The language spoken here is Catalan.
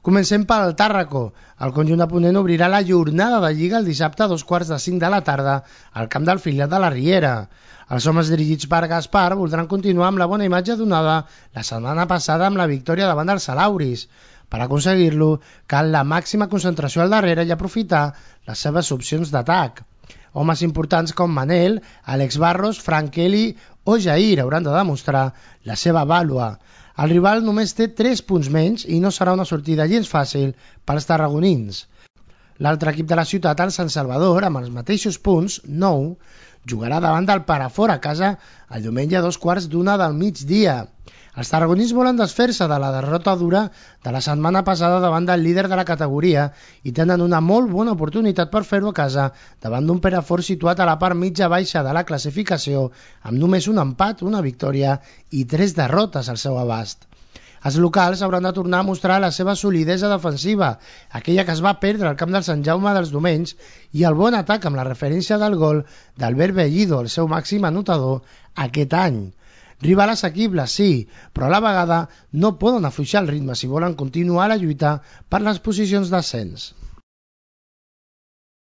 Comencem pel Tàrraco. El conjunt de Ponent obrirà la jornada de Lliga el dissabte a 2:45 de la tarda al camp del filial de la Riera. Els homes dirigits per Gaspar voldran continuar amb la bona imatge donada la setmana passada amb la victòria davant dels Salauris. Per aconseguir-lo, cal la màxima concentració al darrere i aprofitar les seves opcions d'atac. Homes importants com Manel, Àlex Barros, Frank Kelly o Jair hauran de demostrar la seva vàlua. El rival només té 3 punts menys i no serà una sortida gens fàcil pels tarragonins. L'altre equip de la ciutat, el Sant Salvador, amb els mateixos punts, 9, jugarà davant del Perafort a casa el diumenge a 2:15 del migdia. Els tarragonins volen desfer-se de la derrota dura de la setmana passada davant del líder de la categoria i tenen una molt bona oportunitat per fer-ho a casa davant d'un Perafort situat a la part mitja-baixa de la classificació amb només un empat, una victòria i 3 derrotes al seu abast. Els locals hauran de tornar a mostrar la seva solidesa defensiva, aquella que es va perdre al camp del Sant Jaume dels Domenys, i el bon atac amb la referència del gol d'Albert Bellido, el seu màxim anotador aquest any. Rival assequible, sí, però a la vegada no poden afluixar el ritme si volen continuar la lluita per les posicions d'ascens.